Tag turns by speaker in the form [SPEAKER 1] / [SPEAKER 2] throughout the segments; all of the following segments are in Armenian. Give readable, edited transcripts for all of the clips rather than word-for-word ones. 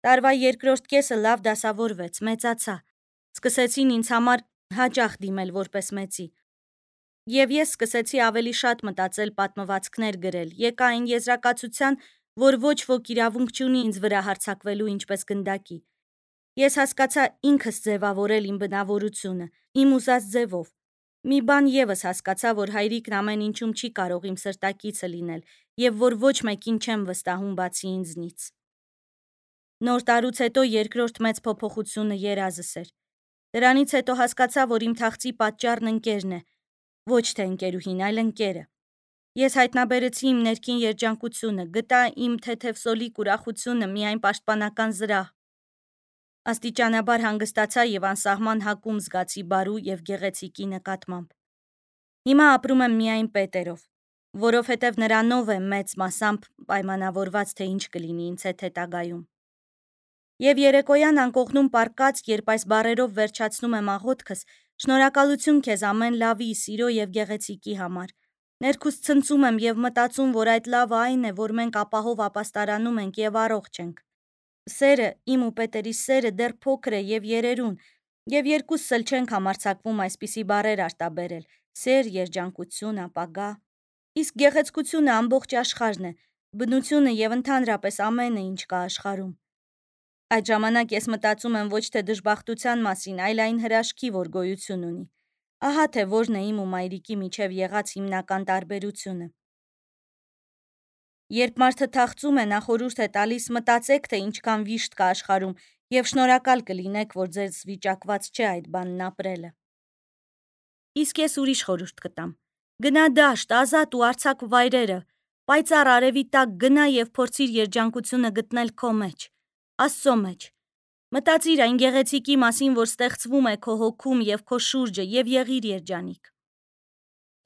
[SPEAKER 1] Տարվա երկրորդ կեսը լավ դասավորվեց, մեծացա։ Սկսեցին ինձ համար հաճախ դիմել որպես մեծի։ Եվ ես սկսեցի ավելի շատ մտածել, պատմվածքներ գրել, եկա այն եզրակացության, որ ոչ ոք իրավունք չունի ինձ վրա հարձակվելու ինչպես գնդակի։ Ես հասկացա ինքս ձևավորել իմ բնավորությունը, իմ ուզած ձևով։ Մի բան ևս հասկացա, որ հայրիկն ամեն ինչում չի կարող իմ սրտակիցը լինել, և որ ոչ մեկին չեմ վստահում բացի ինձնից։ Նոր տարուց հետո երկրորդ մեծ փոփոխությունը երազս էր։ Դրանից հետո հասկացա, որ իմ թախծի պատճառն ընկերն է, ոչ թե ընկերուհին, այլ ընկերը։ Ես հայտնաբերեցի իմ ներքին երջանկությունը, գտա իմ թեթևսոլիկ ուրախությունը միայն պաշտպանական զրահ։ Աստիճանաբար հանգստացա և անսահման հակում զգացի բարու և գեղեցիկի նկատմամբ։ Հիմա ապրում եմ միայն Պետերով, որովհետև նրանով է մեծ մասամբ պայմանավորված, թե ինչ կլինի ինձ հետ հետագայում։ Եվ երեկոյան անկողնում պառկած, երբ այս բառերով վերջացնում եմ աղոթքս, շնորհակալություն քեզ ամեն լավի, սիրո և գեղեցիկի համար։ Ներքուս ցնծում եմ և մտածում, որ այդ լավը այն է, որ մենք ապահով ապաստարանում ենք և առողջ ենք։ Սերը, իմ ու Պետերի սերը դեռ փոքր է և երերուն, և երկուսս էլ չենք համարձակվում այսպիսի բառեր արտաբերել՝ սեր, երջանկություն, ապագա։ Իսկ գեղեցկությունը ամբողջ աշխարհն է, բնությունը և ընդհանրապես ամենը, ինչ կա աշխարհում։ Այդ ժամանակ ես մտածում եմ ոչ թե դժբախտության մասին, այլ այն հրաշքի, որ գոյություն ունի։ Ահա թե որն է իմ ու մայրիկի միջև եղած հիմնական տարբերությունը։ Երբ մարդը թախծում է, նա խորհուրդ է տալիս մտածեք, թե ինչքան վիշտ կա աշխարհում և շնորհակալ կլինեք, որ ձեզ վիճակված չէ այդ բանն ապրելը։ Իսկ ես ուրիշ խորհուրդ կտամ։ Գնա դաշտ, ազատ ու արձակ վայրերը, պայծառ արևի տակ գնա և փորձիր երջանկությունը գտնել քո մեջ, Աստծո մեջ։ Մտածիր այն գեղեցիկի մասին, որ ստեղծվում է քո հոգում և քո շուրջը, և եղիր երջանիկ։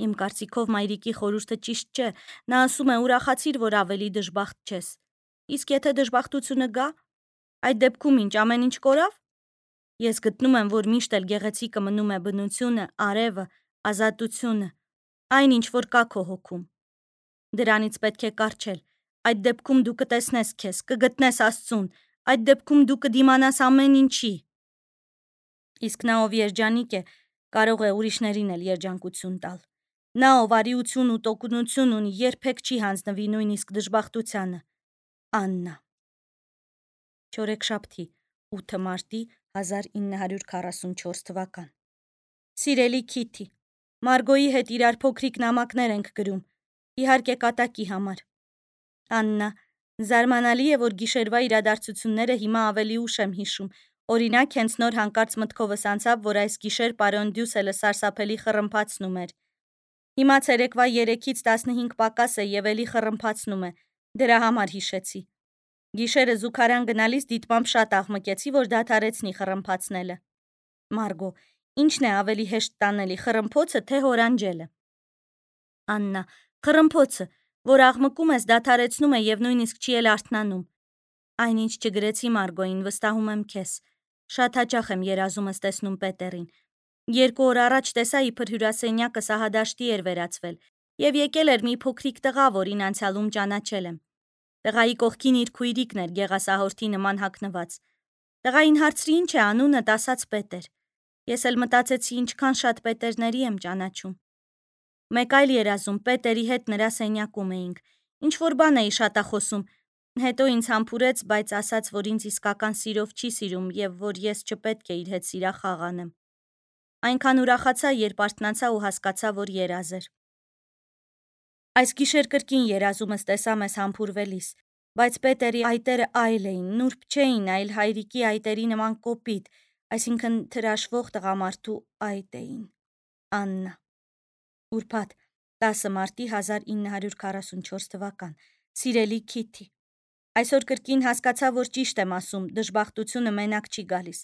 [SPEAKER 1] Իմ կարծիքով մայրիկի խորհուրդը ճիշտ չէ, նա ասում է ուրախացիր, որ ավելի դժբախտ չես։ Իսկ եթե դժբախտությունը գա, այդ դեպքում ինչ ամեն ինչ կորավ։ Ես գտնում եմ, որ միշտ էլ գեղեցիկը մնում է բնությունը, արևը, ազատությունը, այն ինչ որ կա քո հոգում։ Դրանից պետք է կառչել։ Այդ դեպքում դու կտեսնես քեզ, կգտնես Աստծուն, այդ դեպքում դու կդիմանաս ամեն ինչի։ Իսկ նա, ով երջանիկ է, կարող է ուրիշներին էլ երջանկություն տալ։ Նա, ով արիություն ու տոկունություն ունի, երբեք չի հանձնվի նույնիսկ դժբախտությանը։ Աննա։ Չորեքշաբթի, 8 մարտի 1944 թվական։ Սիրելի Քիթի, Մարգոյի հետ իրար փոքրիկ նամակներ ենք գրում, իհարկե կատակի համար։ Աննա, զարմանալի է, որ գիշերվա իրադարձությունները հիմա ավելի ուշ եմ հիշում։ Օրինակ, հենց նոր հանկարծ մտքովս անցավ, որ այս գիշեր պարոն Դյուսելը սարսափելի խռմփացնում էր։ Հիմա ցերեկվա 3-ից 15 պակաս է և էլի խռմփացնում է։ Դրա համար հիշեցի։ Գիշերը զուգարան գնալիս դիտմամբ շատ աղմկեցի, որ դադարեցնի խռմփացնելը։ Մարգո, ինչն է ավելի հեշտ տանելի, խռմփոցը թե հորանջելը։ Աննա, խռմփոցը, որ աղմկում ես, դադարեցնում է և նույնիսկ չի էլ արթնանում։ Այնինչ չգրեցի Մարգոյին, վստահում եմ քեզ։ Շատ հաճախ եմ երազումս տեսնում Պետերին։ 2 օր առաջ տեսա, իբր հյուրասենյակը սահադաշտի էր վերածվել, և եկել էր մի փոքրիկ տղա, որին անցյալում ճանաչել եմ։ Տղայի կողքին իր քույրիկն էր գեղասահորդի նման հագնված։ Տղային հարցրի ինչ է անունդ, ասաց Պետեր։ Ես էլ մտածեցի ինչքան շատ Պետերների եմ ճանաչում։ Մեկ այլ երազում Պետերի հետ նրա սենյակում էինք։ Ինչ-որ բան էի շատախոսում, հետո ինձ համբուրեց, բայց ասաց, որ ինձ իսկական սիրով չի սիրում և որ ես չպետք է իր հետ սիրախաղ անեմ։ Այնքան ուրախացա, երբ արթնացա ու հասկացա, որ երազ էր։ Այս գիշեր կրկին երազումս տեսա մեզ համբուրվելիս, բայց Պետերի այտերը այլ էին, նուրբ չէին, այլ հայրիկի այտերի նման կոպիտ, այսինքն թրաշվող տղամարդու այտ էին։ Աննա։ Ուրբաթ, 10 մարտի 1944 թվական։ Սիրելի Քիթի, այսօր կրկին հասկացա, որ ճիշտ եմ ասում, դժբախտությունը մենակ չի գալիս։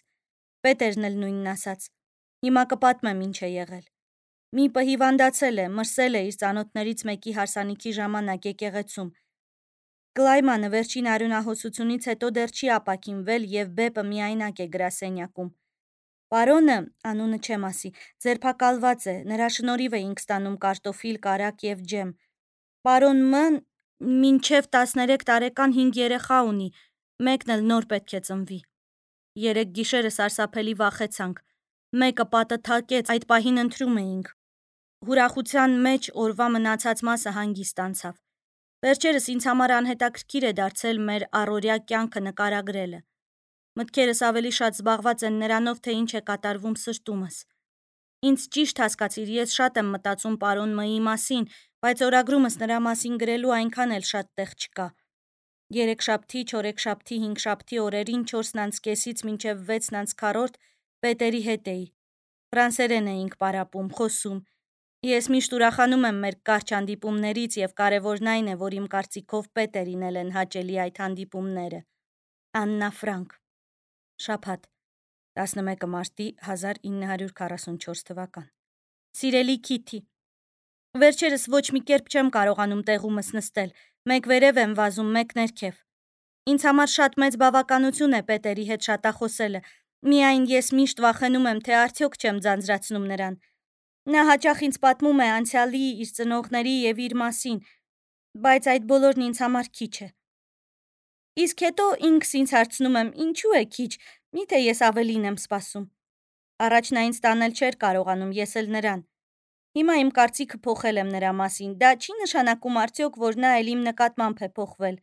[SPEAKER 1] Պետերն էլ նույնն ասաց։ Հիմա կպատմեմ ինչ է եղել։ Մի պը հիվանդացել է, մրսել է իր ծանոթներից մեկի հարսանիքի ժամանակ եկեղեցում։ Կլայմանը վերջին արյունահոսությունից հետո դեռ չի ապաքինվել և բեպը միայնակ է գրասենյակում։ Պարոնը, անունը չեմ ասի, ձերբակալված է, նրա շնորհիվ էինք ստանում կարտոֆիլ, կարագ և ջեմ։ Պարոն Մ-ն մինչև 13 տարեկան 5 երեխա ունի, Մեկն էլ նոր պետք է ծնվի։ Երեք գիշերը սարսափելի վախեցանք։ Մեկը պատը թակեց, այդ պահին ընթրում էինք։ Ուրախության մեջ օրվա մնացած մասը հանգիստ անցավ։ Վերջերս ինձ համար անհետաքրքիր է դարձել մեր առօրյա կյանքը նկարագրելը։ Մտքերս ավելի շատ զբաղված են նրանով, թե ինչ է կատարվում սրտումս։ Ինձ ճիշտ հասկացիր, ես շատ եմ մտածում պարոն Մ-ի մասին, բայց օրագրումս նրա մասին գրելու այնքան էլ շատ տեղ չկա։ Երեքշաբթի, չորեքշաբթի, հինգշաբթի օրերին 4:30-ից մինչև 6:40 պետերի հետ էի։ Ֆրանսերեն էինք պարապում, խոսում։ Ես միշտ ուրախանում եմ մեր կարճ հանդիպումներից և կարևորն այն է, որ իմ կարծիքով պետերին էլ են հաճելի այդ հանդիպումները։ Աննա Ֆրանկ։ Շաբաթ 11 մարտի 1944 թվական։ Սիրելի Քիթի, վերջերս ոչ մի կերպ չեմ կարողանում տեղումս նստել, մեկ վերև եմ վազում, մեկ ներքև։ Ինձ համար շատ մեծ բավականություն է պետերի հետ շատախոսելը, միայն ես միշտ վախենում եմ, թե արդյոք չեմ ձանձրացնում նրան։ Նա հաճախ ինձ պատմում է անցյալի, իր ծնողների և իր մասին, բայց այդ բոլորն ինձ համար քիչ է։ Իսկ հետո ինքս ինձ հարցնում եմ, ինչու է քիչ, միթե ես ավելին եմ սպասում։ Առաջ նա ինձ տանել չէր կարողանում, ես էլ նրան։ Հիմա իմ կարծիքը փոխել եմ նրա մասին, դա չի նշանակում արդյոք, որ նա էլ իմ նկատմամբ է փոխվել։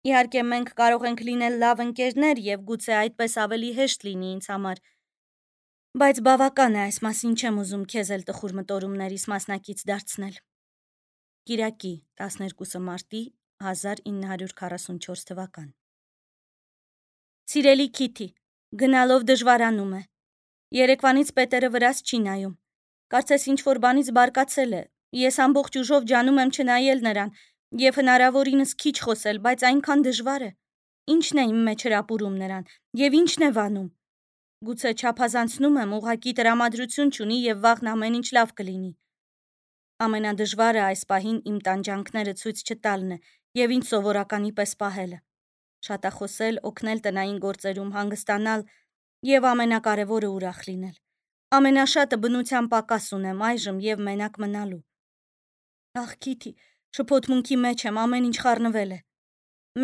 [SPEAKER 1] Իհարկե մենք կարող ենք լինել լավ ընկերներ և գուցե այդպես ավելի հեշտ լինի ինձ համար, բայց բավական է, այս մասին չեմ ուզում քեզ էլ տխուր մտորումներիս մասնակից դարձնել։ Կիրակի 12 մարտի 1944 թվական։ Սիրելի Քիթի, գնալով դժվարանում է։ Երեկվանից պետերը վրաս չի նայում։ Կարծես ինչ-որ բանից բարկացել է։ Ես ամբողջ ուժով ջանում եմ չնայել նրան և հնարավորինս քիչ խոսել, բայց այնքան դժվար է։ Ինչն է իմ մեջ հրապուրում նրան և ինչն է վանում։ Գուցե չափազանցնում եմ, ուղղակի տրամադրություն չունի և վաղն ամեն ինչ լավ կլինի։ Ամենադժվարը այս պահին իմ տանջանքները ցույց չտալն է և ինձ սովորականի պես պահելը։ Շատախոսել, օգնել տնային գործերում, հանգստանալ և ամենակարևորը ուրախ լինել։ Ամենաշատը բնության պակաս ունեմ այժմ և մենակ մնալու։ Ախ, Քիթի, շփոթմունքի մեջ եմ, ամեն ինչ խառնվել է։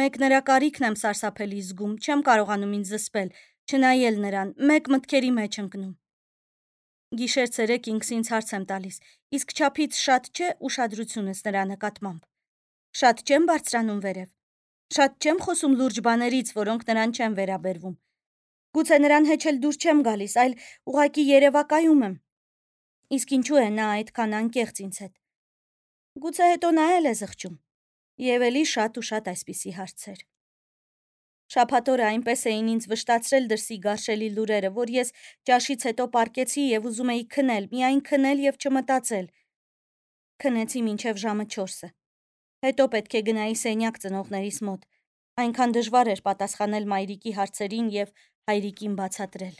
[SPEAKER 1] Մեկ նրա կարիքն եմ սարսափելի զգում, չեմ կարողանում ինձ զսպել, չնայել նրան, մեկ մտքերի մեջ ընկնում։ Գիշեր-ցերեկ ինքս ինձ հարց եմ տալիս, իսկ չափից շատ չէ ուշադրությունս նրա նկատմամբ։ Շատ չեմ բարձրանում վերև։ Շատ չեմ խոսում լուրջ բաներից, որոնք նրան չեն վերաբերվում։ Գուցե նրան հետ էլ դուր չեմ գալիս, այլ ուղղակի երևակայում եմ։ Իսկ ինչու է նա այդքան անկեղծ ինձ հետ։ Գուցե հետո նա էլ է զղջում։ Եվ էլի շատ ու շատ այսպիսի հարցեր։ Շաբաթ օրը այնպես էին ինձ վշտացրել դրսի գարշելի լուրերը, որ ես ճաշից հետո պառկեցի և ուզում էի քնել, միայն քնել և չմտածել։ Քնեցի մինչև ժամը 4-ը։ Հետո պետք է գնայի սենյակ ծնողներիս մոտ։ Այնքան դժվար էր պատասխանել մայրիկի հարցերին և հայրիկին բացատրել,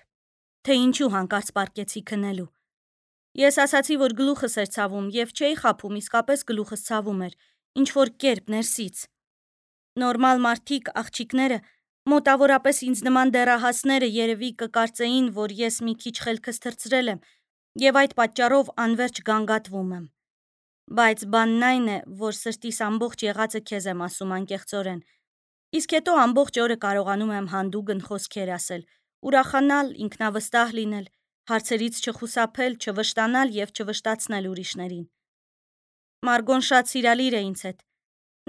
[SPEAKER 1] թե ինչու հանկարծ պառկեցի քնելու։ Ես ասացի, որ գլուխս էր ցավում և չէի խաբում, իսկապես գլուխս ցավում էր, ինչ-որ կերպ ներսից։ Նորմալ մարդիկ, աղջիկները, մոտավորապես ինձ նման դեռահասները երևի կկարծեին, որ ես մի քիչ խելքս թռցրել եմ և այդ պատճառով անվերջ գանգատվում եմ։ Բայց բանն այն է, որ սրտիս ամբողջ եղածը քեզ եմ ասում անկեղծորեն, իսկ հետո ամբողջ օրը կարողանում եմ հանդուգն խոսքեր ասել, ուրախանալ, ինքնավստահ լինել, հարցերից չխուսափել, չվշտանալ և չվշտացնել ուրիշներին։ Մարգոն շատ սիրալիր է ինձ հետ։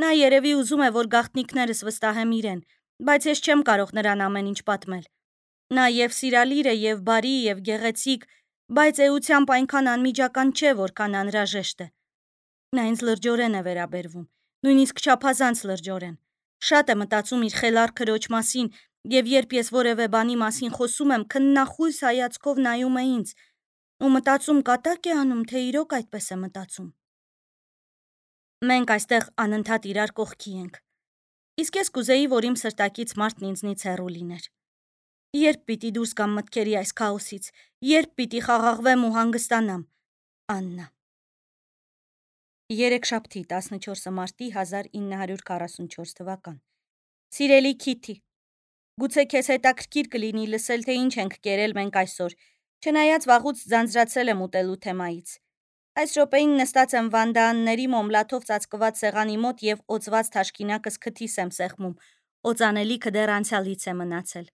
[SPEAKER 1] Նա երևի ուզում է, որ գաղտնիքներս վստահեմ իրեն, բայց ես չեմ կարող նրան ամեն ինչ պատմել։ Նա և սիրալիր է, և բարի, և գեղեցիկ, բայց էությամբ այնքան անմիջական չէ, որքան անհրաժեշտ է։ Նա ինձ լրջորեն է վերաբերվում, նույնիսկ չափազանց լրջորեն։ Շատ է մտածում իր խելառ քրոջ մասին, և երբ ես որևէ բանի մասին խոսում եմ, քննախույս հայացքով նայում է ինձ ու մտածում կատակ է անում, թե իրոք այդպես է մտածում։ Մենք այստեղ անընդհատ իրար կողքի ենք։ Իսկ ես կուզեի, որ իմ սրտակից մարդն ինձնից հեռու լիներ։ Երբ պիտի դուրս գամ մտքերի այս քաոսից, երբ պիտի խաղաղվեմ ու հանգստանամ։ Աննա։ Երեքշաբթի 14 մարտի 1944 թվական։ Սիրելի Քիթի, գուցե քեզ հետաքրքիր կլինի լսել, թե ինչ ենք կերել մենք այսօր, չնայած վաղուց ձանձրացել եմ ուտելու թեմայից։ Այս րոպեին նստած եմ վանդաանների մոմլաթով ծածկված սեղանի մոտ և օծված թաշկինակս քթիս եմ սեղմում, օծանելիքը դեռ անցյալից է մնացել։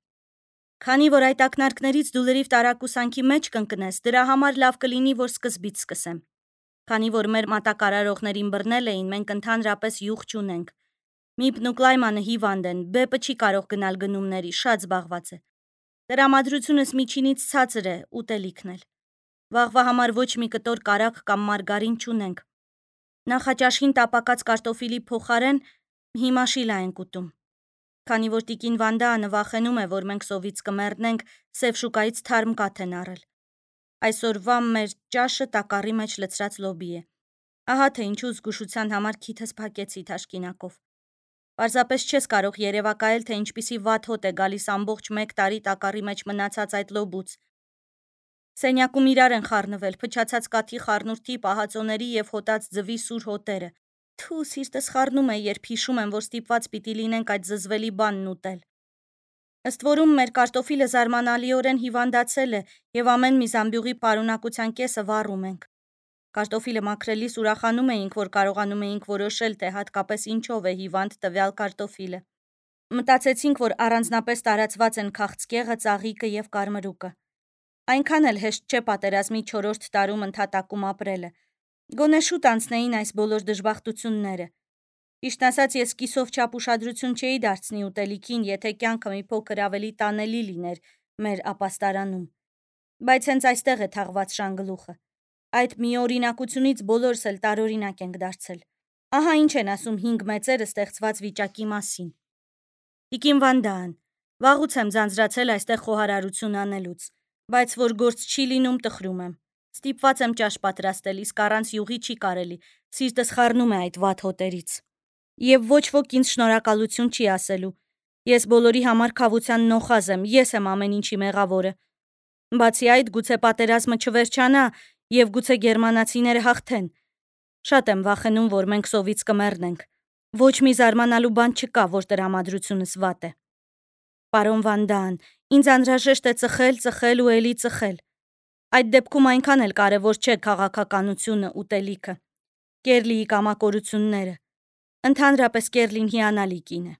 [SPEAKER 1] Քանի որ այդ ակնարկներից դու լրիվ տարակուսանքի մեջ կընկնես, դրա համար լավ կլինի, որ սկզբից սկսեմ։ Քանի որ մեր մատակարարողներին բռնել էին, մենք ընդհանրապես յուղ չունենք։ Միպն ու Կլայմանը հիվանդ են, Բեպը չի կարող գնալ գնումների, շատ զբաղված է։ Տրամադրությունս միջինից ցածր է, ուտելիքն էլ։ Վաղվա համար ոչ մի կտոր կարագ կամ մարգարին չունենք։ Նախաճաշին տապակած կարտոֆիլի փոխարեն հիմա շիլա ենք ուտում։ Քանի որ տիկին Վանդանը վախենում է, որ մենք սովից կմեռնենք, Սև շուկայից թարմ կաթ են առել։ Այսօրվա մեր ճաշը տակառի մեջ լցրած լոբի է։ Ահա թե ինչու զգուշության համար քիթս փակեցի թաշկինակով։ Պարզապես չես կարող երևակայել, թե ինչպիսի վատ հոտ է գալիս ամբողջ 1 տարի տակառի մեջ մնացած այդ լոբուց։ Սենյակում իրար են խառնվել փչացած կաթի խառնուրդի, պահածոների և հոտած ձվի սուր հոտերը։ Թու, սիրտս խառնում է, երբ հիշում եմ, որ ստիպված պիտի լինենք այդ զզվելի բանն ուտել։ Ըստ որում մեր կարտոֆիլը զարմանալիորեն հիվանդացել է և ամեն մի զամբյուղի պարունակության կեսը վառում ենք։ Կարտոֆիլը մաքրելիս ուրախանում էինք, որ կարողանում էինք որոշել, թե հատկապես ինչով է հիվանդ տվյալ կարտոֆիլը։ Մտածեցինք, որ առանձնապես տարածված են քաղցկեղը, ծաղիկը և կարմրուկը։ Այնքան էլ հեշտ չէ պատերազմի 4-րդ տարում ընդհատակում ապրելը։ Գոնե շուտ անցնեին այս բոլոր դժբախտությունները։ Ճիշտն ասած, ես կիսով չափ ուշադրություն չէի դարձնի ուտելիքին, եթե կյանքը մի փոքր ավելի տանելի լիներ մեր ապաստարանում։ Բայց հենց այստեղ է թաղված շանգլուխը։ Այդ միօրինակությունից բոլորս էլ տարօրինակ ենք դարձել։ Ահա ինչ են ասում 5 մեծերը ստեղծված վիճակի մասին։ Տիկին Վանդան, վաղուց եմ ձանձրացել այստեղ խոհարարություն անելուց, բայց որ գործ չի լինում, տխրում եմ։ Ստիպված եմ ճաշ պատրաստել, իսկ առանց յուղի չի կարելի, սիրտս խառնում է այդ վատ հոտերից։ Եվ ոչ ոք ինձ շնորհակալություն չի ասելու։ Ես բոլորի համար քավության նոխազ եմ, ես եմ ամեն ինչի մեղավորը։ Բացի այդ, գուցե պատերազմը չվերջանա և գուցե գերմանացիները հաղթեն։ Շատ եմ վախենում, որ մենք սովից կմեռնենք։ Ոչ մի զարմանալու բան չկա, որ տրամադրությունս վատ է։ Պարոն Վանդան, ինձ անհրաժեշտ է ծխել ու էլի ծխել։ Այդ դեպքում այնքան էլ կարևոր չէ քաղաքականությունը, ուտելիքը, Կերլիի կամակորությունները։ Ընդհանրապես Կերլին հիանալի կին է։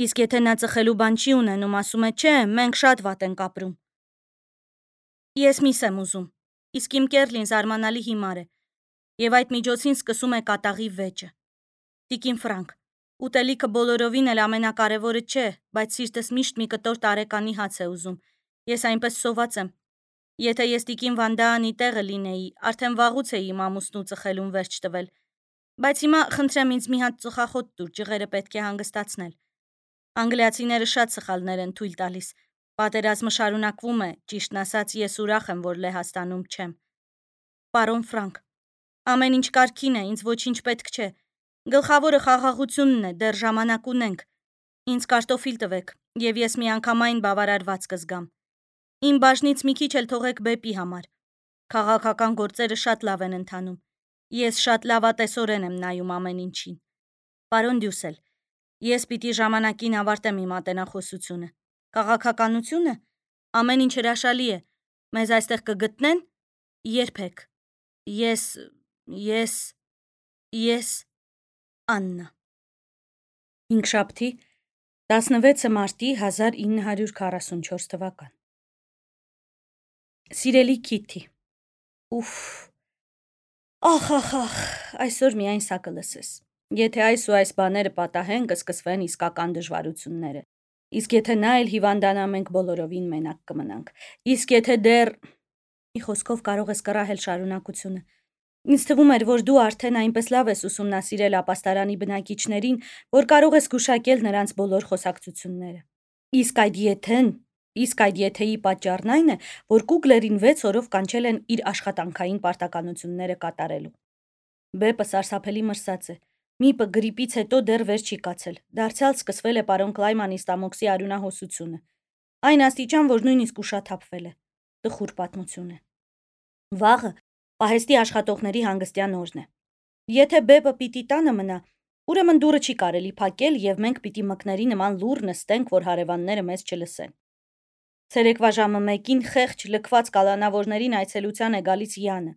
[SPEAKER 1] Իսկ եթե նա ծխելու բան չի ունենում, ասում է, չէ, մենք շատ վատ ենք ապրում։ Ես միս եմ ուզում, իսկ իմ Կերլին զարմանալի հիմար է, և այդ միջոցին սկսում է կատաղի վեճը։ Տիկին Ֆրանկ, ուտելիքը բոլորովին էլ ամենակարևորը չէ, բայց սիրտս միշտ մի կտոր տարեկանի հաց է ուզում։ Ես այնպես սոված եմ։ Եթե ես տիկին Վանդանի տեղը լինեի, արդեն վաղուց էի իմ ամուսնու ծխելուն վերջ տվել։ Բայց հիմա խնդրեմ ինձ մի հատ ծխախոտ տուր, ջղերը պետք է հանգստացնել։ Անգլիացիները շատ սխալներ են թույլ տալիս։ Պատերազմը շարունակվում է, ճիշտն ասած, ես ուրախ եմ, որ Լեհաստանում չեմ։ Պարոն Ֆրանկ, ամեն ինչ կարգին է, ինձ ոչինչ պետք չէ։ Գլխավորը խաղաղությունն է, դեռ ժամանակ ունենք։ Ինձ կարտոֆիլ տվեք, և ես միանգամայն բավարարված կզգամ։ Իմ բաժնից մի քիչ էլ թողեք Բեպի համար։ Քաղաքական գործերը շատ լավ են ընթանում։ Ես շատ լավատեսորեն եմ նայում ամեն ինչին։ Պարոն Դյուսել, ես պիտի ժամանակին ավարտեմ իմ ատենախոսությունը։ Քաղաքականությունը ամեն ինչ հրաշալի է։ Մեզ այստեղ կգտնեն։ Երբեք։ Ես Աննա։ Հինգշաբթի 16 մարտի 1944 թվական։ Սիրելի Քիթի, ուֆ, ախ, այսօր միայն սա կլսես։ Եթե այս ու այս բաները պատահեն, կսկսվեն իսկական դժվարությունները։ Իսկ եթե նա էլ հիվանդանա, մենք բոլորովին մենակ կմնանք։ Իսկ եթե դեռ… Մի խոսքով կարող ես կռահել շարունակությունը։ Ինձ թվում էր, որ դու արդեն այնպես լավ ես ուսումնասիրել ապաստարանի բնակիչներին, որ կարող ես գուշակել նրանց բոլոր խոսակցությունները։ Իսկ այդ եթեի պատճառն այն է, որ Կուգլերին 6 օրով կանչել են իր աշխատանքային պարտականությունները կատարելու։ Բեպը սարսափելի մրսած է։ Միպը գրիպից հետո դեռ վեր չի կացել։ Դարձյալ սկսվել է պարոն Կլայմանի ստամոքսի արյունահոսությունը։ Այն աստիճան, որ նույնիսկ ուշաթափվել է։ Տխուր պատմություն է։ Վաղը պահեստի աշխատողների հանգստյան օրն է։ Եթե Բեպը պիտի տանը մնա, ուրեմն դուռը չի կարելի փակել և մենք պիտի մկների նման լուռ նստենք, որ հարևանները մեզ չլսեն։ Ցերեկվա ժամը 1-ին խեղճ լքված կալանավորներին այցելության է գալիս Յանը։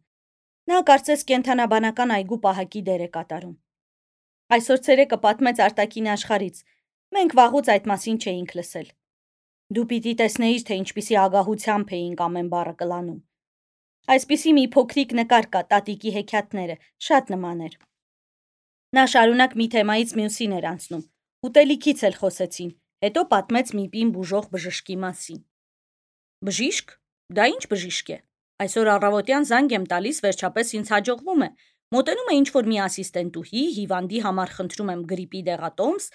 [SPEAKER 1] Նա կարծես կենդանաբանական այգու պահակի դեր է կատարում։ Այսօր ցերեկը պատմեց արտաքին աշխարհից։ Մենք վաղուց այդ մասին չէինք լսել։ Դու պիտի տեսնեիր, թե ինչպիսի ագահությամբ էինք ամեն բառը կլանում։ Այսպիսի մի փոքրիկ նկար կա տատիկի հեքիաթները, շատ նման էր։ Նա շարունակ մի թեմայից մյուսին էր անցնում, ուտելիքից էլ խոսեցին, հետո պատմեց մի պին բուժող բժշկի մասին։ Բժիշկ? Դա ինչ բժիշկ է։ Այսօր առավոտյան զանգ եմ տալիս, վերջապես ինձ հաջողվում է։ Մոտենում է ինչ-որ մի ասիստենտուհի, հիվանդի համար խնդրում եմ գրիպի դեղատոմս,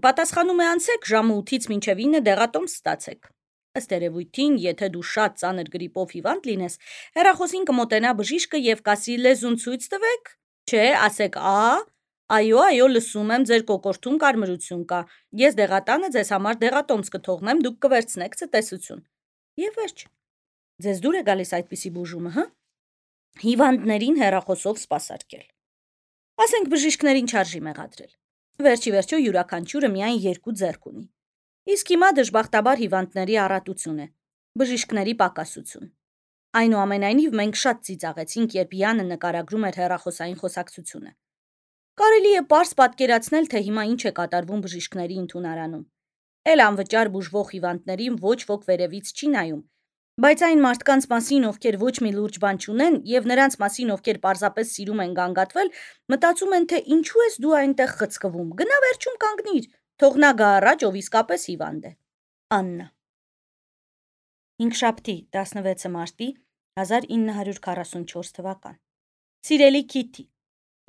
[SPEAKER 1] պատասխանում է անցեք ժամը 8-ից մինչև 9 դեղատոմս ստացեք։ Ըստ երևույթին, եթե դու շատ ծանր գրիպով հիվանդ լինես, հեռախոսին կմոտենա բժիշկը եւ կասի լեզուն ցույց տվեք, չէ, ասեք այո, լսում եմ, ձեր կոկորդում կարմրություն կա, ես դեղատանը ձեզ համար դեղատոմս կթողնեմ, դուք կվերցնեք ցտեսություն։ Եվ վերջ։ Ձեզ դուր է գալիս այդպիսի բուժումը, հա։ Հիվանդներին հեռախոսով սպասարկել։ Ասենք բժիշկներին չարժի մեղադրել։ Վերջի վերջո յուրաքանչյուրը միայն 2 ձեռք ունի։ Իսկ հիմա դժբախտաբար հիվանդների առատություն է, բժիշկների պակասություն։ Այնուամենայնիվ մենք շատ ծիծաղեցինք, երբ Յանը նկարագրում էր հեռախոսային խոսակցությունը։ Կարելի է պարզ պատկերացնել, թե հիմա ինչ է կատարվում բժիշկների ընդունարանում։ Էլ անվճար բուժվող հիվանդներին ոչ ոք վերևից չի նայում, բայց այն մարդկանց մասին, ովքեր ոչ մի լուրջ բան չունեն, եւ նրանց մասին, ովքեր պարզապես սիրում են գանգատվել, մտածում են, թե ինչու ես դու այնտեղ խցկվում։ Գնա վերջում կանգնիր, թող նա գա առաջ, ով իսկապես հիվանդ է։ Աննա։ Հինգշաբթի 16 մարտի 1944 թվական։ Սիրելի Քիթի,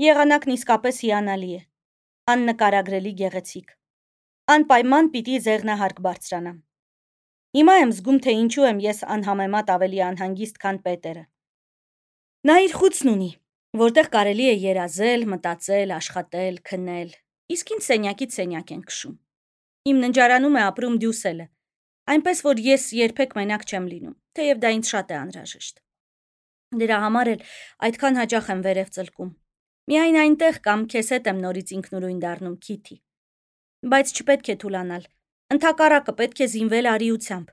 [SPEAKER 1] եղանակն իսկապես հիանալի է, աննկարագրելի գեղեցիկ։ Անպայման պիտի ձեղնահարկ բարձրանամ։ Հիմա եմ զգում, թե ինչու եմ ես անհամեմատ ավելի անհանգիստ, քան Պետերը։ Նա իր խուցն ունի, որտեղ կարելի է երազել, մտածել, աշխատել, քնել, իսկ ինձ սենյակից սենյակ են քշում։ Իմ ննջարանում է ապրում Դյուսելը, այնպես որ ես երբեք մենակ չեմ լինում, թեև դա ինձ շատ է անհրաժեշտ։ Դրա համար էլ այդքան հաճախ եմ վերև ծլկում։ Միայն այնտեղ կամ քեզ հետ եմ նորից ինքնուրույն դառնում, Քիթի։ Բայց չպետք է թուլանալ, ընդհակառակը պետք է զինվել արիությամբ։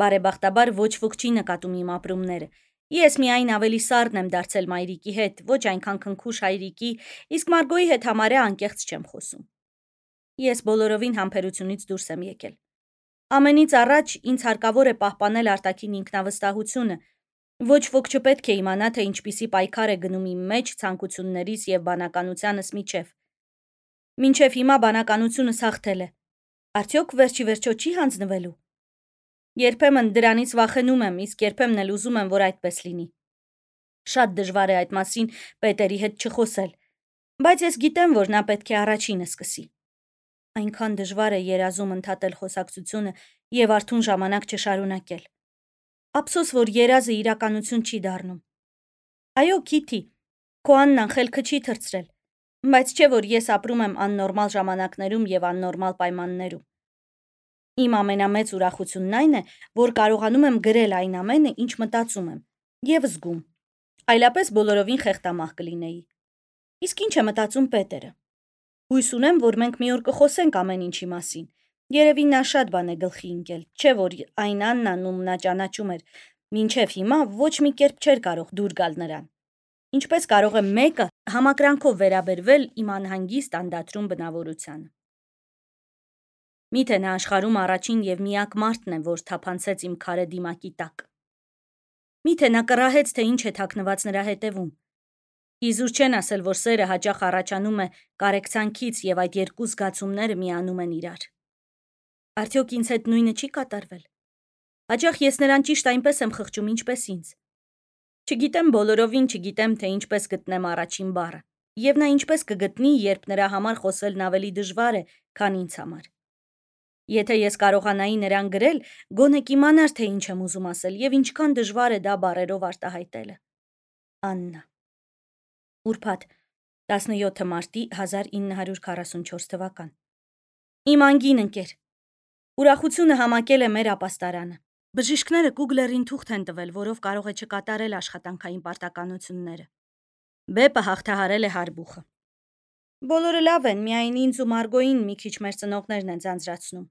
[SPEAKER 1] Բարեբախտաբար ոչ ոք չի նկատում իմ ապրումները։ Ես միայն ավելի սառն եմ դարձել մայրիկի հետ, ոչ այնքան քնքուշ հայրիկի, իսկ Մարգոյի հետ համարյա անկեղծ չեմ խոսում։ Ես բոլորովին համբերությունից դուրս եմ եկել։ Ամենից առաջ ինձ հարկավոր է պահպանել արտաքին ինքնավստահությունը։ Ոչ ոք չպետք է իմանա, թե ինչպիսի պայքար է գնում իմ մեջ ցանկություններիս եւ բանականությանս միջև։ Մինչև հիմա բանականությունս հաղթել է։ Արդյոք վերջի վերջո չի հանձնվելու։ Երբեմն դրանից վախենում եմ, իսկ երբեմն էլ ուզում եմ, որ այդպես լինի։ Շատ դժվար է այդ մասին Պետերի հետ չխոսել, բայց ես գիտեմ, որ նա պետք է առաջինը սկսի։ Այնքան դժվար է երազում ընդհատել խոսակցությունը եւ արթուն ժամանակ չշարունակել։ Ափսոս, որ երազը իրականություն չի դառնում։ Այո, Քիթի, քո Աննան խելքը չի թռցրել, բայց չէ, որ ես ապրում եմ աննորմալ ժամանակներում եւ աննորմալ պայմաններում։ Իմ ամենամեծ ուրախությունն այն է, որ կարողանում եմ գրել այն ամենը, ինչ մտածում եմ եւ զգում։ Այլապես բոլորովին խեղդամահ կլինեի։ Իսկ ինչ է մտածում Պետերը։ Հույս ունեմ, որ մենք մի օր կխոսենք ամեն ինչի մասին։ Երևի նա շատ բան է գլխի ընկել, չէ որ այն Աննան, ում նա ճանաչում էր, մինչև հիմա ոչ մի կերպ չէր կարող դուր գալ նրան։ Ինչպես կարող է մեկը համակրանքով վերաբերվել իմ անհանգիստ անդադրում բնավորությանը։ Միթե նա աշխարհում առաջին եւ միակ մարդն է, որ թափանցեց իմ քարե դիմակի տակ։ Միթե նա կռահեց, թե ինչ է թաքնված նրա հետևում։ Իզուր չեն ասել, որ սերը հաճախ առաջանում է կարեկցանքից եւ այդ երկու զգացումները միանում են իրար։ Արդյոք ինձ հետ նույնը չի կատարվել։ Հաճախ ես նրան ճիշտ այնպես եմ խղճում, ինչպես ինձ։ Չգիտեմ բոլորովին, չգիտեմ, թե ինչպես գտնեմ առաջին բառը, եւ նա ինչպես կգտնի, երբ նրա համար խոսելն ավելի դժվար է, քան ինձ համար։ Եթե ես կարողանայի նրան գրել, գոնե կիմանար, թե ինչ եմ ուզում ասել եւ ինչքան դժվար է դա բառերով արտահայտելը։ Աննա։ Ուրբաթ 17 մարտի 1944 թվական։ Իմ անգին ընկեր։ Ուրախությունը համակել է մեր ապաստարանը։ Բժիշկները Կուգլերին թուղթ են տվել, որով կարող է չկատարել աշխատանքային պարտականությունները։ Բեպը հաղթահարել է հարբուխը։ Բոլորը լավ են, միայն ինձ ու Մարգոյին մի քիչ մեր ծնողներն են ձանձրացնում։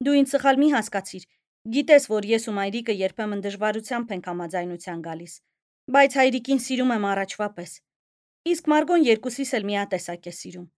[SPEAKER 1] Դու ինձ սխալ մի հասկացիր։ Գիտես, որ ես ու մայրիկը երբեմն դժվարությամբ ենք համաձայնության գալիս, բայց հայրիկին սիրում եմ առաջվա պես։ Իսկ Մարգոն երկուսիս էլ միատեսակ է սիրում։